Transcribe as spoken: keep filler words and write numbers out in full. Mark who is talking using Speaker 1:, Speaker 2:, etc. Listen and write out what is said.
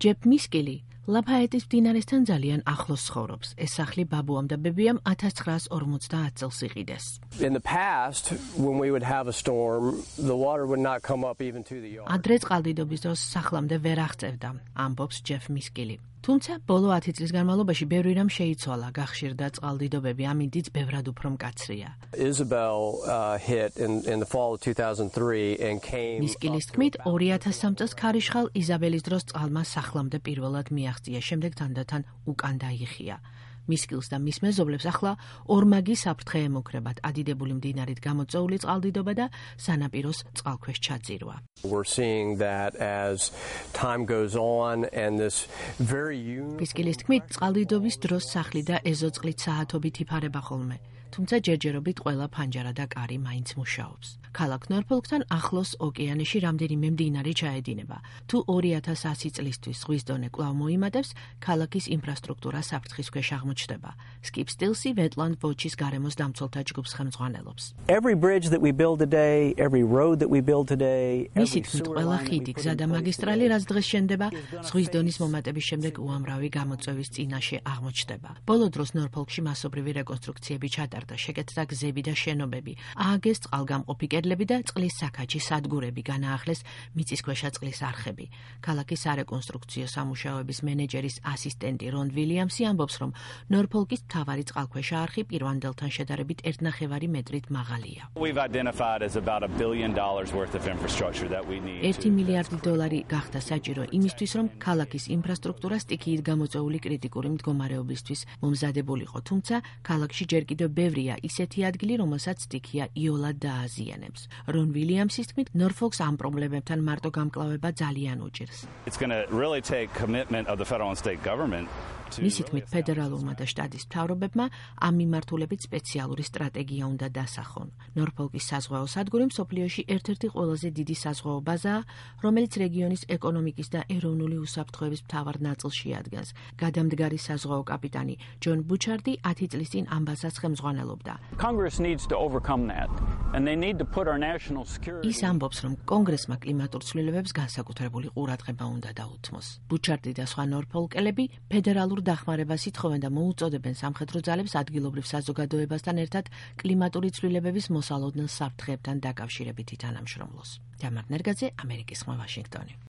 Speaker 1: ჯეფ მისკილი ლაფაეტის მდინარესთან ძალიან ახლოს ცხოვრობს. ეს სახლი ბაბუამ და ბებიამ ათას ცხრაას ორმოცდაათ წელს იყიდეს.
Speaker 2: In the past, when we would have a storm, the water would not come up even to the yard.
Speaker 1: ადრე წყალდიდობის დროს სახლამდე ვერ აღწევდა, ამბობს ჯეფ მისკილი. თუმცა ბოლო ათი წლის განმავლობაში ბევრი რამ შეიცვალა, გახშირდა წყალდიდობები, ამინდიც ბევრად უფრო მკაცრია.
Speaker 2: Isabel uh, hit in, in the fall of two thousand three and came.
Speaker 1: მისკილის თქმით, ორი ათას სამი წელს ქარიშხალ იზაბელის დროს წყალმა სახლამდე პირველად მიაღწია, შემდეგ თანდათან უკან დაიხია. მისკილს და მის მეზობლებს ახლა ორმაგი საფრთხე ემუქრებათ, ადიდებული მდინარით გამოწვეული წყალდიდობა და სანაპიროს წყალქვეშ ჩაძირვა.
Speaker 2: We're seeing that as time goes on and this very
Speaker 1: მისკილის თქმით, წყალდიდობის დროს სახლი და ეზოწყლით საათობით იფარება ხოლმე. თუმცა ჯერჯერობით ყველა ფანჯარა და კარი მაინც მუშაობს. ქალაქ ნორფოლკთან ახლოს ოკეანეში რამდენიმე მდინარე ჩაედინება. თუ ორი ათას ასი წლისთვის ზღვის დონე კვლავ მოიმატებს, ქალაქის ინფრასტრუქტურა საფრთხის ქვეშ აღმოჩნდება. Skip Stilsy Wetland Watch-ის გარემოს დამცველთა ჯგუფს ხელმძღვანელობს.
Speaker 3: Every bridge that we build today, every road that we build today,
Speaker 1: მისი თქმით, ყველა ხიდი, გზა და მაგისტრალი, რაც დღეს შენდება, ზღვის დონის მომატების შემდეგ უამრავი გამოწვევის წინაშე აღმოჩნდება. ბოლო დროს ნორფოლკში მასობრივი რეკონსტრუქციები ჩატარდა, შეკეთდა გზები და შენობები, ააგეს წყალგამყოფი კედლები და წყლის საქაჩი სადგურები, განაახლეს მიწისქვეშა წყლის არხები. ქალაქის სარეკონსტრუქციო სამუშაოების მენეჯერის ასისტენტი რონ ვილიამსი ამბობს, რომ ნორფოლკის მთავარი წყალქვეშა არხი პირვანდელთან შედარებით ერთნახევარი მეტრით მაღალია.
Speaker 4: We've identified as about a billion dollars worth of infrastructure that we need.
Speaker 1: ერთი მილიარდი დოლარი გახდა საჭირო იმისთვის, რომ ქალაქის ინფრასტრუქტურა სტიქიით გამოწვეული კრიტიკური მდგომარეობისთვის მომზადებულიყო, თუმცა ქალაქში ჯერ კიდევ ბევრია ისეთი ადგილი, რომელსაც სტიქია იოლად დააზიანებს. რონ ვილიამსის თქმით, ნორფოლკს ამ პრობლემებთან მარტო გამკლავება ძალიან უჭირს.
Speaker 4: It's going to really take commitment of the federal and state government.
Speaker 1: მისი თქმით, ფედერალურმა და შტატის მთავრობებმა ამ მიმართულებით სპეციალური სტრატეგია უნდა დასახონ. ნორფოლკის საზღვაო სადგური მსოფლიოში ერთ-ერთი ყველაზე დიდი საზღვაო ბაზაა, რომელიც რეგიონის ეკონომიკის და ეროვნული უსაფრთხოების მთავარ ნაწილს შეადგენს. გადამდგარი საზღვაო კაპიტანი ჯონ ბუჩარდი ათი წლის წინ ამ ბაზას ხელმძღვანელობდა.
Speaker 5: Congress needs to overcome that and they need to put our national security.
Speaker 1: ის ამბობს, რომ კონგრესმა კლიმატურ ცვლილებებს განსაკუთრებული ყურადღება უნდა დაუთმოს. ბუჩარდი და სხვა ნორფოლკელები ფედერალურ დახმარებას ითხოვენ და მოუწოდებენ სამხედრო ძალებს ადგილობრივ საზოგადოებასთან ერთად კლიმატური ცვლილებების მოსალოდნელ საფრთხეებთან დაკავშირებით ითანამშრომლოს. დამარ ნერგაძე, ამერიკის ხმა, ვაშინგტონი.